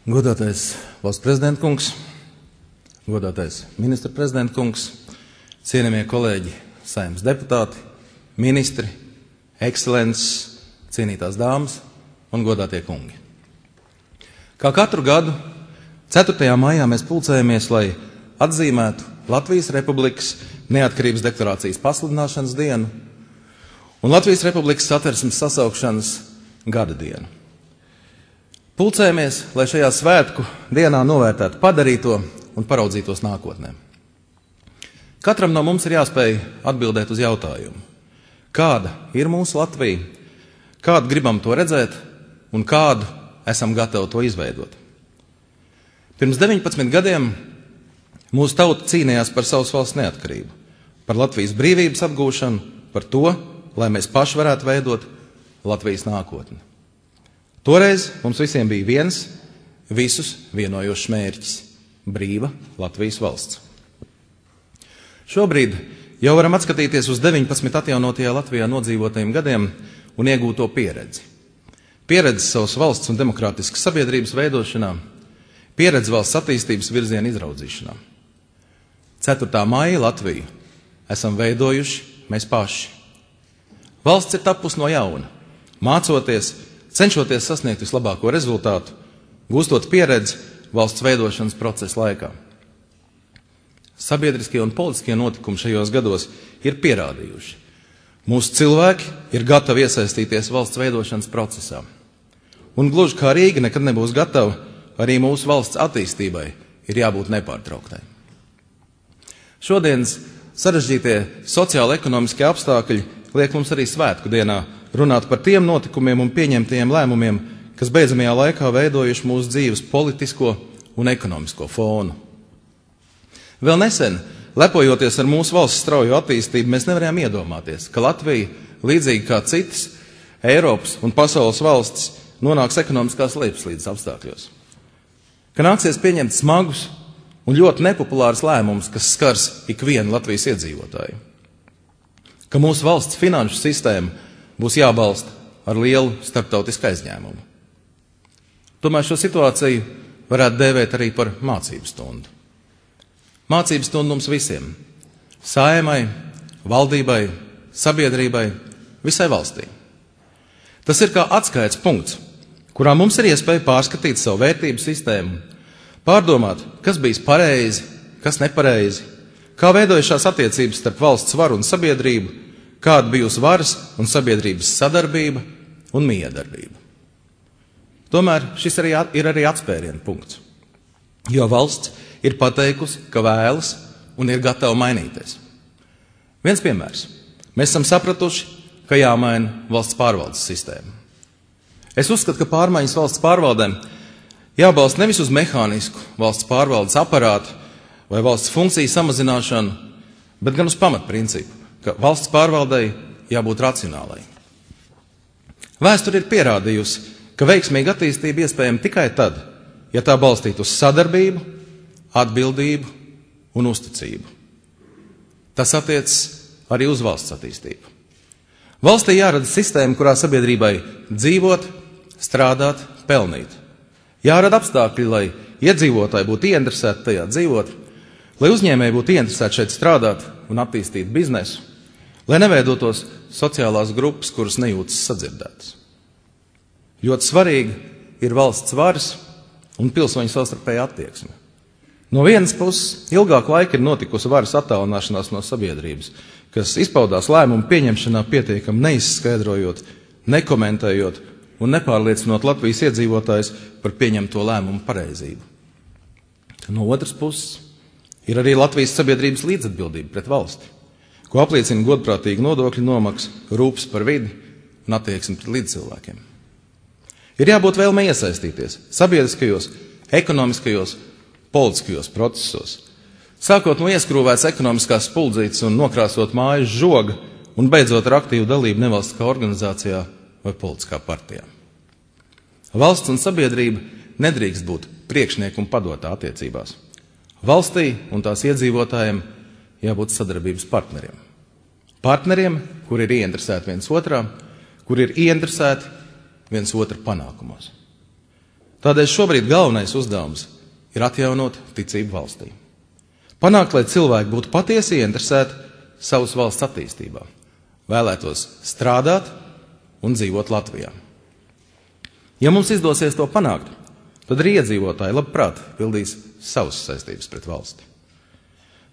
Godātais valsts prezidenta kungs, godātais ministra prezidenta kungs, cienījamie kolēģi, Saeimas deputāti, ministri, ekscelences, cienītās dāmas un godātie kungi. Kā katru gadu, 4. maijā mēs pulcējamies, lai atzīmētu Latvijas Republikas neatkarības deklarācijas pasludināšanas dienu un Latvijas Republikas Satversmes sasaukšanas gada dienu. Pulcējamies, lai šajā svētku dienā novērtētu padarīto un paraudzītos nākotnē. Katram no mums ir jāspēj atbildēt uz jautājumu, kāda ir mūsu Latvija, kādu gribam to redzēt un kādu esam gatavi to izveidot. Pirms 19 gadiem mūsu tauta cīnījās par savas valsts neatkarību, par Latvijas brīvības apgūšanu, par to, lai mēs paši varētu veidot Latvijas nākotni. Toreiz mums visiem bija viens, visus vienojošs mērķis – brīva Latvijas valsts. Šobrīd jau varam atskatīties uz 19 atjaunotajā Latvijā nodzīvotajiem gadiem un iegūto pieredzi. Pieredzi savas valsts un demokrātiskas sabiedrības veidošanā, pieredzi valsts attīstības virziena izraudzīšanā. 4. maija Latviju esam veidojuši mēs paši. Valsts ir tapusi no jauna, mācoties, cenšoties sasniegt vislabāko rezultātu, gūstot pieredzi valsts veidošanas procesa laikā. Sabiedriskie un politiskie notikumi šajos gados ir pierādījuši. Mūsu cilvēki ir gatavi iesaistīties valsts veidošanas procesā. Un gluži kā Rīga nekad nebūs gatava, arī mūsu valsts attīstībai ir jābūt nepārtrauktai. Šodienas sarežģītie sociālo-ekonomiskie apstākļi liek mums arī svētku dienā runāt par tiem notikumiem un pieņemtajiem lēmumiem, kas beidzamajā laikā veidojuši mūsu dzīves politisko un ekonomisko fonu. Vēl nesen, lepojoties ar mūsu valsts straujo attīstību, mēs nevarējām iedomāties, ka Latvija, līdzīgi kā citas Eiropas un pasaules valstis, nonāks ekonomiskās lejupslīdes apstākļos. Ka nāksies pieņemt smagus un ļoti nepopulārus lēmumus, kas skars ikvienu Latvijas iedzīvotāju. Ka mūsu valsts finanšu sistēma būs jābalsta ar lielu starptautisku aizņēmumu. Tomēr šo situāciju varētu dēvēt arī par mācību stundu. Mācību stundu mums visiem – Saeimai, valdībai, sabiedrībai, visai valstī. Tas ir kā atskaites punkts, kurā mums ir iespēja pārskatīt savu vērtību sistēmu, pārdomāt, kas bijis pareizi, kas nepareizi, kā veidojušās attiecības starp valsts varu un sabiedrību, kāda bijusi varas un sabiedrības sadarbība un miedarbība. Tomēr šis ir arī atspēriena punkts, jo valsts ir pateikusi, ka vēlas un ir gatava mainīties. Viens piemērs. Mēs esam sapratuši, ka jāmaina valsts pārvaldes sistēma. Es uzskatu, ka pārmaiņas valsts pārvaldēm jābalsta nevis uz mehānisku valsts pārvaldes aparātu vai valsts funkciju samazināšanu, bet gan uz pamatprincipu, ka valsts pārvaldei jābūt racionālai. Vēsture ir pierādījusi, ka veiksmīga attīstība iespējama tikai tad, ja tā balstītu uz sadarbību, atbildību un uzticību. Tas attiecas arī uz valsts attīstību. Valstī jārada sistēma, kurā sabiedrībai dzīvot, strādāt, pelnīt. Jārada apstākļi, lai iedzīvotāji būtu ieinteresēti tajā dzīvot, lai uzņēmēji būtu ieinteresēti šeit strādāt un attīstīt biznesu, lai neveidotos sociālās grupas, kuras nejūtas sadzirdētas. Ļoti svarīgi ir valsts varas un pilsoņu savstarpēja attieksme. No vienas puses, ilgāku laiku ir notikusi varas attālināšanās no sabiedrības, kas izpaudās lēmumu pieņemšanā pietiekami neizskaidrojot, nekomentējot un nepārliecinot Latvijas iedzīvotājus par pieņemto lēmumu pareizību. No otras puses, ir arī Latvijas sabiedrības līdzatbildība pret valsti, ko apliecina godprātīga nodokļu nomaksa, rūpes par vidi un attieksmi pret līdzcilvēkiem. Ir jābūt vēlmei iesaistīties sabiedriskajos, ekonomiskajos, politiskajos procesos, sākot no ieskrūvētas ekonomiskās spuldzītes un nokrāsot mājas žoga un beidzot ar aktīvu dalību nevalstiskā organizācijā vai politiskā partijā. Valsts un sabiedrība nedrīkst būt priekšnieku un padotā attiecībās. Valstī un tās iedzīvotājiem jābūt sadarbības partneriem. Partneriem, kur ir ieinteresēti viens otrā, kur ir ieinteresēti viens otra panākumos. Tādēļ šobrīd galvenais uzdevums ir atjaunot ticību valstī. Panākt, lai cilvēki būtu patiesi ieinteresēti savas valsts attīstībā, vēlētos strādāt un dzīvot Latvijā. Ja mums izdosies to panākt, tad arī iedzīvotāji labprāt pildīs savas saistības pret valsti.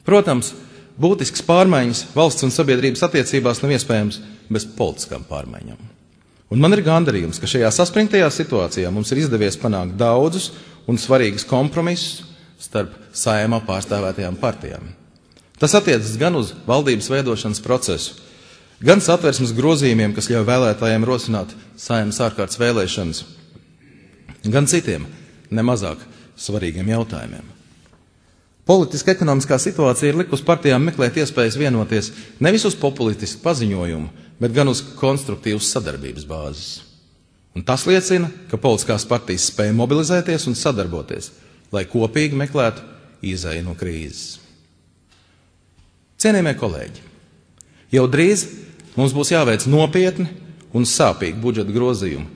Protams, būtisks pārmaiņas valsts un sabiedrības attiecībās nav iespējams bez politiskām pārmaiņām. Un man ir gandarījums, ka šajā saspringtajā situācijā mums ir izdevies panākt daudzus un svarīgus kompromisus starp Saeimā pārstāvētajām partijām. Tas attiecas gan uz valdības veidošanas procesu, gan Satversmes grozījumiem, kas ļauj vēlētājiem rosināt Saeimas ārkārtas vēlēšanas, gan citiem nemazāk svarīgiem jautājumiem. Politiska ekonomiskā situācija ir likusi partijām meklēt iespējas vienoties nevis uz populistisku paziņojumu, bet gan uz konstruktīvas sadarbības bāzes. Un tas liecina, ka politiskās partijas spēja mobilizēties un sadarboties, lai kopīgi meklētu izeju no krīzes. Cienījamie kolēģi, jau drīz mums būs jāveic nopietni un sāpīgi budžeta grozījumi,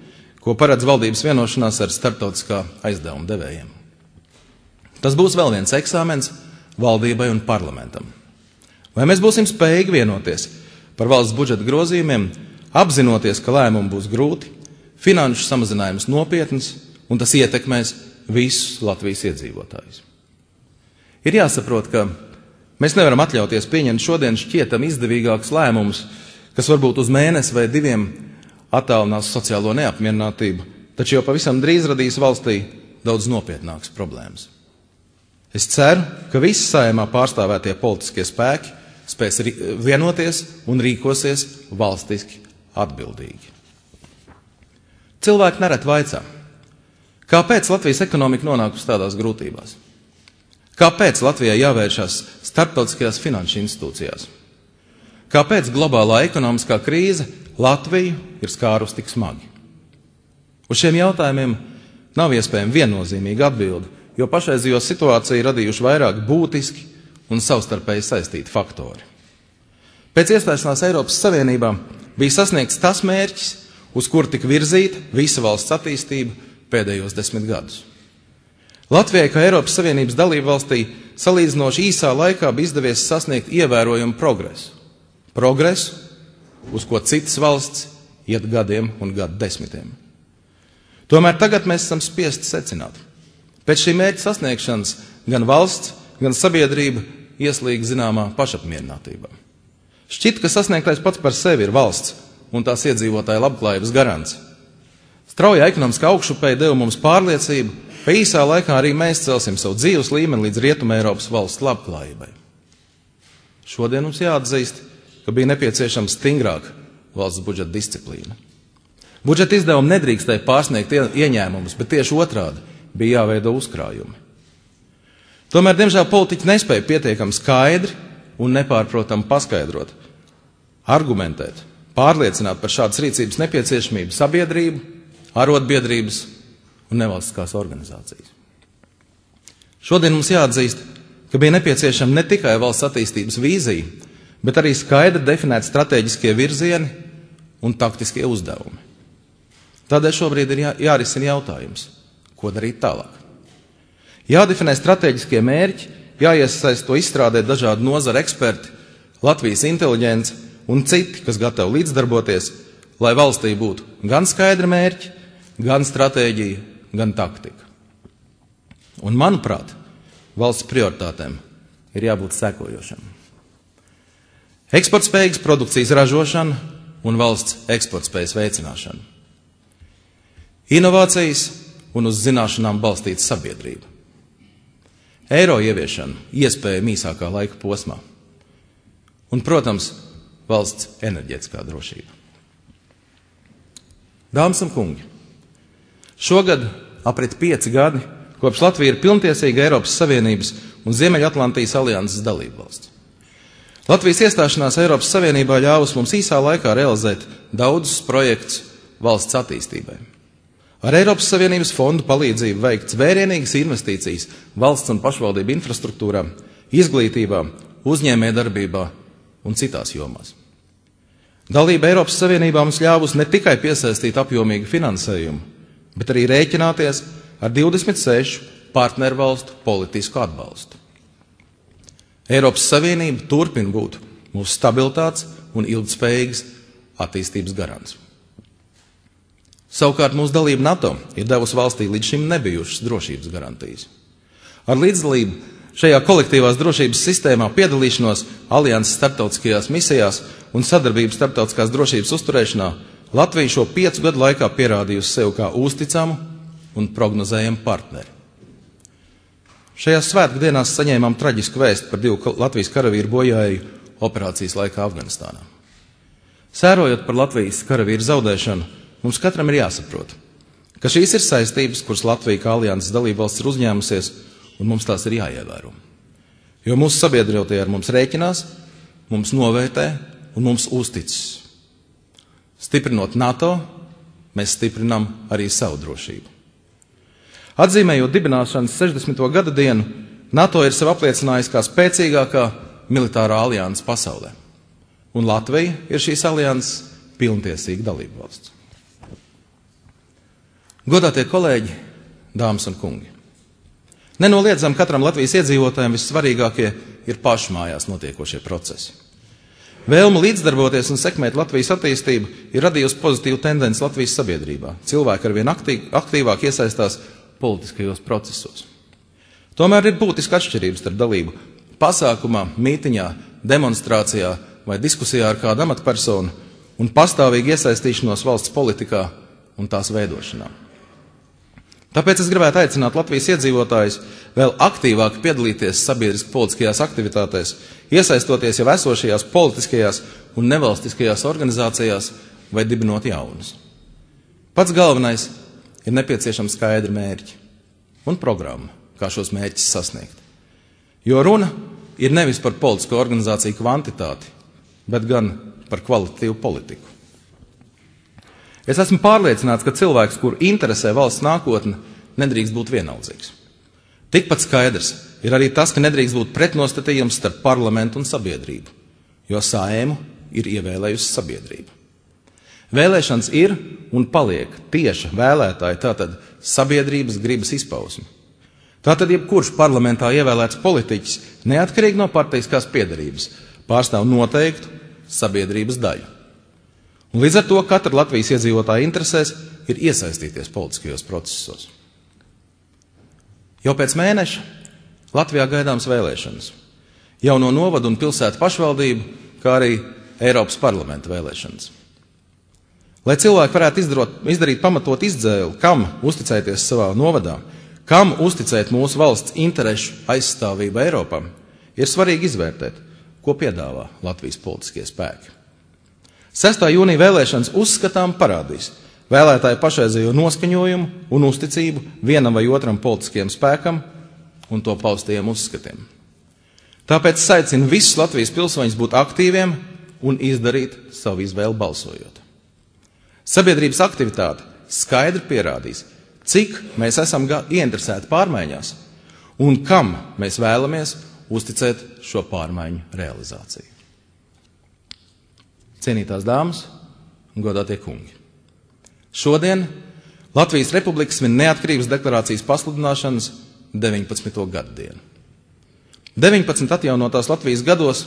ko paredz valdības vienošanās ar starptautiskā aizdevuma devējiem. Tas būs vēl viens eksāmens valdībai un parlamentam. Vai mēs būsim spējīgi vienoties par valsts budžeta grozījumiem, apzinoties, ka lēmumi būs grūti, finanšu samazinājums nopietns un tas ietekmēs visus Latvijas iedzīvotājus. Ir jāsaprot, ka mēs nevaram atļauties pieņemt šodien šķietam izdevīgākus lēmumus, kas varbūt uz mēnesi vai diviem attālinās sociālo neapmierinātību, taču jau pavisam drīz radīs valstī daudz nopietnākas problēmas. Es ceru, ka visi Saeimā pārstāvētie politiskie spēki spēs vienoties un rīkosies valstiski atbildīgi. Cilvēki nereti vaicā, kāpēc Latvijas ekonomika nonākusi tādās grūtībās? Kāpēc Latvijai jāvēršas starptautiskajās finanšu institūcijās? Kāpēc globālā ekonomiskā krīze Latviju ir skārus tik smagi? Uz šiem jautājumiem nav iespējama viennozīmīga atbilde, jo pašreizējo situāciju radījuši vairāk būtiski un savstarpēji saistīti faktori. Pēc iestāšanās Eiropas Savienībā bija sasniegts tas mērķis, uz kuru tika virzīta visa valsts attīstība pēdējos 10 gadus. Latvijai, kā Eiropas Savienības dalība valstī, salīdzinoši īsā laikā bija izdevies sasniegt ievērojumu progresu. Progresu, uz ko citas valsts iet gadiem un gadu desmitiem. Tomēr tagad mēs esam spiesti secināt. Pēc šī mērķa sasniegšanas gan valsts, gan sabiedrība ieslīg zināmā pašapmierinātībā. Šķiet, ka sasniegtais pats par sevi ir valsts un tās iedzīvotāju labklājības garants. Straujā ekonomiskā augšupēja deva mums pārliecību, ka īsā laikā arī mēs celsim savu dzīves līmeni līdz Rietumē Eiropas valsts labklājībai. Šodien mums jāatzīst, ka bija nepieciešama stingrāka valsts budžeta disciplīna. Budžeta izdevumi nedrīkstēja pārsniegt ieņēmumus, bet tieši otrādi bija jāveido uzkrājumi. Tomēr, diemžēl, politiķi nespēja pietiekami skaidri un nepārprotami paskaidrot, argumentēt, pārliecināt par šādas rīcības nepieciešamību sabiedrību, arotbiedrības un nevalstiskās organizācijas. Šodien mums jāatzīst, ka bija nepieciešama ne tikai valsts attīstības vīzija, bet arī skaidri definēt stratēģiskie virzieni un taktiskie uzdevumi. Tādēļ šobrīd ir jārisina jautājums, ko darīt tālāk. Jādefinē stratēģiskie mērķi, jāiesaist to izstrādēt dažādu nozaru eksperti, Latvijas inteliģence un citi, kas gatavi līdzdarboties, lai valstī būtu gan skaidri mērķi, gan stratēģija, gan taktika. Un, manuprāt, valsts prioritātēm ir jābūt sekojošam. Eksportspējīgas produkcijas ražošana un valsts eksportspējas veicināšana. Inovācijas un uz zināšanām balstīta sabiedrība. Eiro ieviešana iespējama īsākā laika posmā. Un, protams, valsts enerģētiskā drošība. Dāmas un kungi, šogad aprit 5 gadi, kopš Latvija ir pilntiesīga Eiropas Savienības un Ziemeļatlantijas alianses dalība valsts. Latvijas iestāšanās Eiropas Savienībā ļāvusi mums īsā laikā realizēt daudzus projektus valsts attīstībai. Ar Eiropas Savienības fondu palīdzību veikts vērienīgas investīcijas valsts un pašvaldību infrastruktūrā, izglītībā, uzņēmējdarbībā un citās jomās. Dalība Eiropas Savienībā mums ļāvusi ne tikai piesaistīt apjomīgu finansējumu, bet arī rēķināties ar 26 partnervalstu politisku atbalstu. Eiropas Savienība turpina būt mūsu stabilitātes un ilgtspējīgas attīstības garants. Savukārt mūsu dalība NATO ir devusi valstī līdz šim nebijušas drošības garantijas. Ar līdzdalību šajā kolektīvās drošības sistēmā piedalīšanos alianses starptautiskajās misijās un sadarbības starptautiskās drošības uzturēšanā Latvija šo 5 gadu laikā pierādījusi sev kā uzticamu un prognozējamu partneri. Šajās svētku dienās saņēmām traģisku vēstu par 2 Latvijas karavīru bojāju operācijas laikā Afganistānā. Sērojot par Latvijas karavīru zaudēšanu, mums katram ir jāsaprot, ka šīs ir saistības, kuras Latvija kā alianses dalībvalsts ir uzņēmusies, un mums tās ir jāievēro. Jo mūsu sabiedrotie ar mums rēķinās, mums novērtē un mums uzticas. Stiprinot NATO, mēs stiprinām arī savu drošību. Atzīmējot dibināšanas 60. gada dienu, NATO ir sev apliecinājusi kā spēcīgākā militārā alianse pasaulē. Un Latvija ir šīs alianses pilntiesīga dalībvalsts. Godātie kolēģi, dāmas un kungi! Nenoliedzam, katram Latvijas iedzīvotājiem vissvarīgākie ir pašmājās notiekošie procesi. Vēlme līdzdarboties un sekmēt Latvijas attīstību ir radījusi pozitīvu tendenci Latvijas sabiedrībā. Cilvēki arvien aktīvāk iesaistās politiskajos procesos. Tomēr ir būtiska atšķirības starp dalību pasākumā, mītiņā, demonstrācijā vai diskusijā ar kādu amatpersonu un pastāvīgu iesaistīšanos valsts politikā un tās veidošanā. Tāpēc es gribētu aicināt Latvijas iedzīvotājus vēl aktīvāk piedalīties sabiedriski politiskajās aktivitātēs, iesaistoties jau esošajās politiskajās un nevalstiskajās organizācijās vai dibinot jaunas. Pats galvenais ir nepieciešams skaidri mērķi un programma, kā šos mērķus sasniegt. Jo runa ir nevis par politisko organizāciju kvantitāti, bet gan par kvalitatīvu politiku. Es esmu pārliecināts, ka cilvēks, kuru interesē valsts nākotne, nedrīkst būt vienaldzīgs. Tikpat skaidrs ir arī tas, ka nedrīkst būt pretnostatījums starp parlamentu un sabiedrību, jo Saeimu ir ievēlējusi sabiedrība. Vēlēšanas ir un paliek tieša vēlētāja, tātad sabiedrības gribas izpausme. Tātad jebkurš parlamentā ievēlēts politiķis, neatkarīgi no partijiskās piederības, pārstāv noteiktu sabiedrības daļu. Un līdz ar to katra Latvijas iedzīvotāja interesēs ir iesaistīties politiskajos procesos. Jau pēc mēneša Latvijā gaidāms vēlēšanas. Jauno novadu un pilsētu pašvaldību, kā arī Eiropas parlamenta vēlēšanas. Lai cilvēki varētu izdarīt pamatot izdzēli, kam uzticēties savā novadā, kam uzticēt mūsu valsts interešu aizstāvību Eiropā, ir svarīgi izvērtēt, ko piedāvā Latvijas politiskie spēki. 6. jūnija vēlēšanas uzskatām parādīs vēlētāju pašreizējo noskaņojumu un uzticību vienam vai otram politiskajam spēkam un to paustajiem uzskatiem. Tāpēc es aicinu visus Latvijas pilsoņus būt aktīviem un izdarīt savu izvēli balsojot. Sabiedrības aktivitāte skaidri pierādīs, cik mēs esam ieinteresēti pārmaiņās un kam mēs vēlamies uzticēt šo pārmaiņu realizāciju. Cienītās dāmas un godātie kungi! Šodien Latvijas Republika svin neatkarības deklarācijas pasludināšanas 19. gadu dienu. 19 atjaunotās Latvijas gados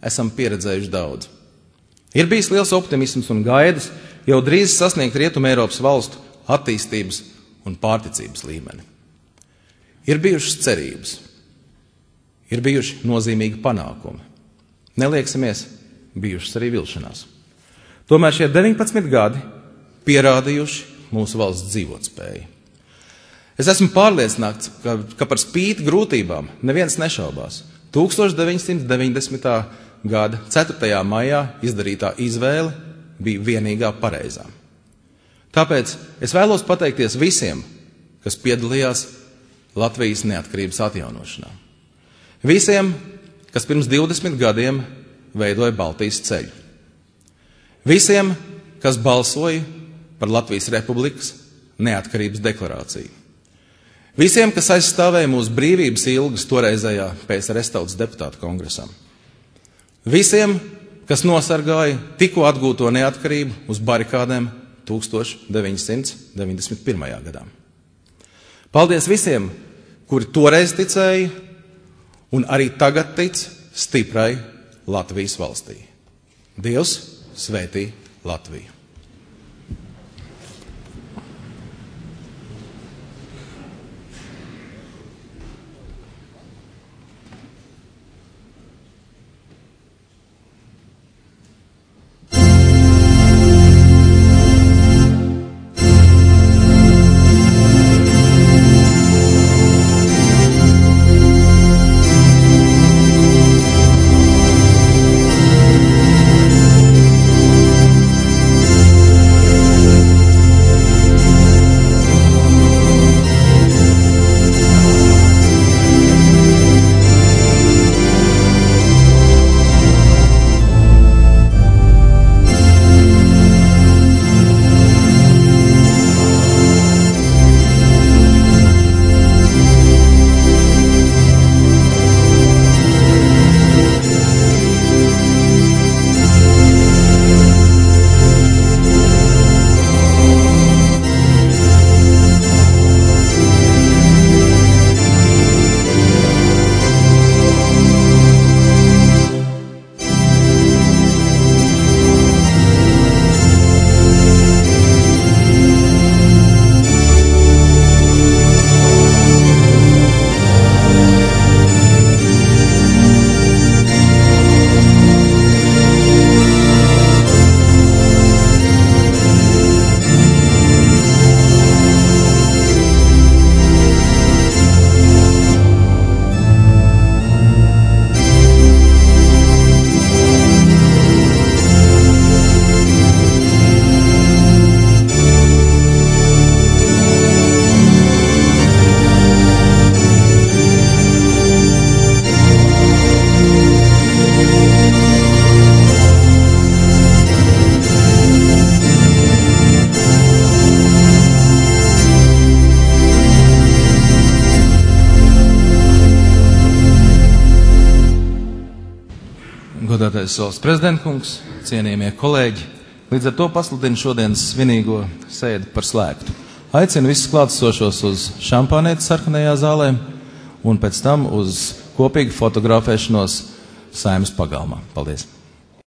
esam pieredzējuši daudz. Ir bijis liels optimisms un gaidas jau drīz sasniegt Rietumē Eiropas valstu attīstības un pārticības līmeni. Ir bijušas cerības, ir bijuši nozīmīgi panākumi. Neliksimies, bijušas arī vilšanās. Tomēr šie 19 gadi pierādījuši mūsu valsts dzīvotspēju. Es esmu pārliecināts, ka par spīti grūtībām neviens nešaubās. 1990. gada 4. maijā izdarītā izvēle bija vienīgā pareizā. Tāpēc es vēlos pateikties visiem, kas piedalījās Latvijas neatkarības atjaunošanā. Visiem, kas pirms 20 gadiem veidoja Baltijas ceļu. Visiem, kas balsoja par Latvijas Republikas neatkarības deklarāciju. Visiem, kas aizstāvēja mūsu brīvības ilgas toreizējā PSRS tautas deputātu kongresam. Visiem, kas nosargāja tikko atgūto neatkarību uz barikādēm 1991. gadā. Paldies visiem, kuri toreiz ticēja un arī tagad tic stiprai Latvijas valstī. Dievs svētī Latviju! Godātais valsts prezidentkungs, cienījamie kolēģi, līdz ar to pasludinu šodienas svinīgo sēdi par slēgtu. Aicinu visus klātesošos uz šampānēti sarkanajā zālē un pēc tam uz kopīgu fotografēšanos Saeimas pagalmā. Paldies!